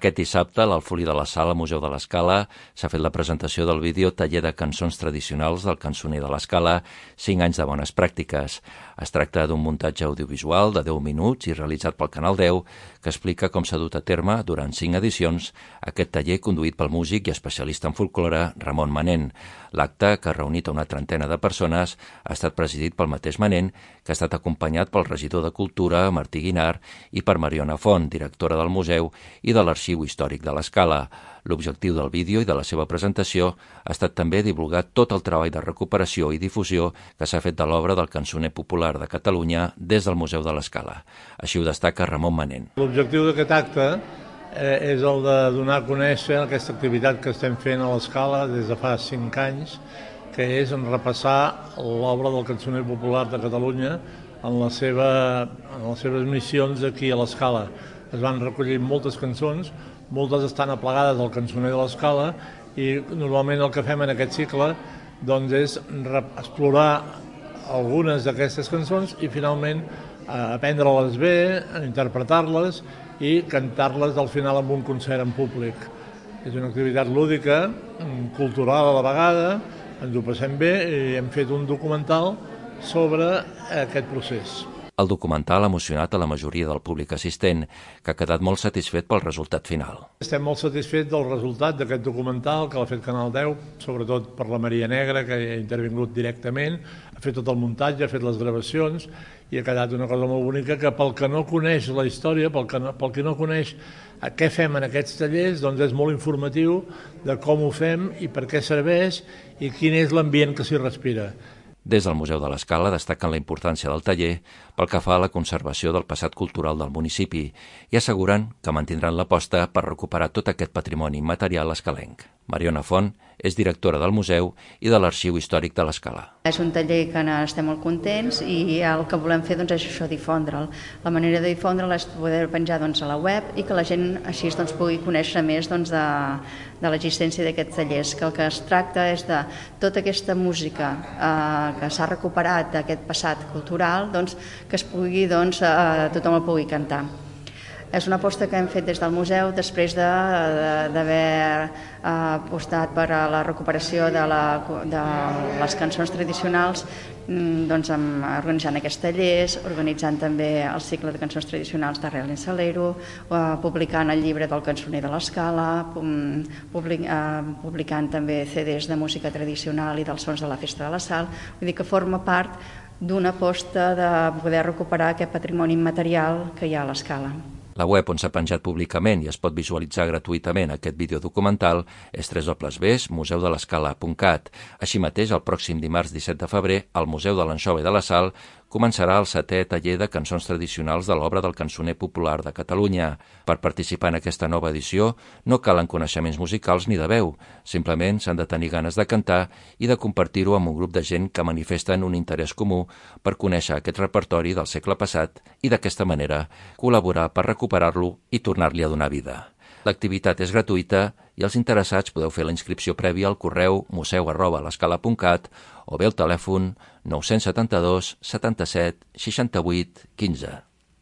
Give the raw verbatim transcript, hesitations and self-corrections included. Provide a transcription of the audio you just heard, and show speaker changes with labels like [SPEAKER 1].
[SPEAKER 1] Aquest dissabte, a l'Alfolí de la Sala, Museu de l'Escala, s'ha fet la presentació del vídeo Taller de cançons tradicionals del cançoner de l'Escala, cinc anys de bones pràctiques. Es tracta d'un muntatge audiovisual de deu minuts i realitzat pel Canal deu que explica com s'ha dut a terme durant cinc edicions aquest taller conduït pel músic i especialista en folklore Ramon Manent. L'acte, que ha reunit a una trentena de persones, ha estat presidit pel mateix Manent, que ha estat acompanyat pel regidor de Cultura, Martí Guinar, i per Mariona Font, directora del museu i de l'Arxiu Històric de l'Escala. L'objectiu del vídeo i de la seva presentació ha estat també divulgar tot el treball de recuperació i difusió que s'ha fet de l'obra del cançoner popular de Catalunya des del Museu de l'Escala. Així ho destaca Ramon Manent.
[SPEAKER 2] L'objectiu d'aquest acte eh, és el de donar a conèixer aquesta activitat que estem fent a l'Escala des de fa cinc anys, que és en repassar l'obra del cançoner popular de Catalunya en, la seva, en les seves missions aquí a l'Escala. Es van recollir moltes cançons, moltes estan aplegades al cançoner de l'Escala i normalment el que fem en aquest cicle doncs, és explorar algunes d'aquestes cançons i finalment aprendre-les bé, interpretar-les i cantar-les al final en un concert en públic. És una activitat lúdica, cultural a la vegada, ens ho passem bé i hem fet un documental sobre aquest procés.
[SPEAKER 1] El documental ha emocionat a la majoria del públic assistent, que ha quedat molt satisfet pel resultat final.
[SPEAKER 2] Estem molt satisfets del resultat d'aquest documental que l'ha fet Canal deu, sobretot per la Maria Negra, que ha intervingut directament, ha fet tot el muntatge, ha fet les gravacions i ha quedat una cosa molt bonica que pel que no coneix la història, pel que no, pel que no coneix què fem en aquests tallers, doncs és molt informatiu de com ho fem i per què serveix i quin és l'ambient que s'hi respira.
[SPEAKER 1] Des del Museu de l'Escala destaquen la importància del taller pel que fa a la conservació del passat cultural del municipi i asseguren que mantindran l'aposta per recuperar tot aquest patrimoni immaterial escalenc. Mariona Font és directora del museu i de l'Arxiu Històric de l'Escala.
[SPEAKER 3] És un taller que estem molt contents i el que volem fer doncs, és això, difondre'l. La manera de difondre'l és poder penjar doncs, a la web i que la gent així doncs, pugui conèixer més doncs, de, de l'existència d'aquests tallers, que el que es tracta és de tota aquesta música eh, que s'ha recuperat d'aquest passat cultural, doncs, que es pugui, doncs, eh, tothom el pugui cantar. És una aposta que hem fet des del museu després d'haver de, de, apostat per a la recuperació de, la, de les cançons tradicionals, doncs, amb, organitzant aquests tallers, organitzant també el cicle de cançons tradicionals d'Arrel en Salero, publicant el llibre del cançoner de l'Escala, public, publicant també ce des de música tradicional i dels sons de la Festa de la Sal. Vull dir que forma part d'una aposta de poder recuperar aquest patrimoni immaterial que hi ha a l'Escala.
[SPEAKER 1] La web on s'ha penjat públicament i es pot visualitzar gratuïtament aquest videodocumental és w w w punt museu de l'escala punt cat. Així mateix, el pròxim dimarts disset de febrer, al Museu de l'Anxova i de la Sal començarà el setè taller de cançons tradicionals de l'obra del cançoner popular de Catalunya. Per participar en aquesta nova edició no calen coneixements musicals ni de veu, simplement s'han de tenir ganes de cantar i de compartir-ho amb un grup de gent que manifesten un interès comú per conèixer aquest repertori del segle passat i d'aquesta manera col·laborar per recuperar-lo i tornar-li a donar vida. L'activitat és gratuïta i els interessats podeu fer la inscripció prèvia al correu museu arroba l'escala punt cat o bé al telèfon nou setanta dos setanta set seixanta vuit quinze.